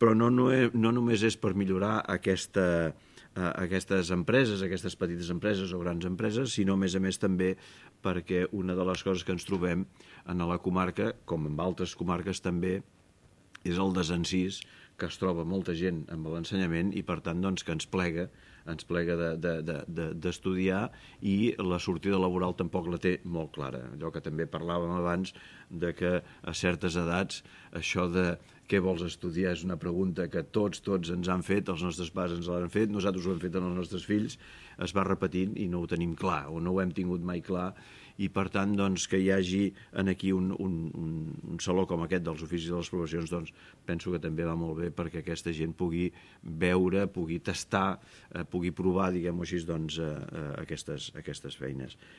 Però no només és per millorar aquestes empreses, aquestes petites empreses o grans empreses, sinó a més també perquè una de les coses que ens trobem a la comarca, com en altres comarques també, és el desencís que es troba molta gent amb l'ensenyament i per tant doncs, que ens plega d'estudiar i la sortida laboral tampoc la té molt clara. Allò que també parlàvem abans de que a certes edats això de què vols estudiar és una pregunta que tots ens han fet, els nostres pares ens l'han fet, nosaltres ho hem fet als nostres fills, es va repetint i no ho tenim clar o no ho hem tingut mai clar i per tant doncs, que hi hagi aquí un saló com aquest dels oficis de les professions doncs, penso que també va molt bé perquè aquesta gent pugui veure, pugui tastar, pugui provar, diguem-ho així, doncs, aquestes feines.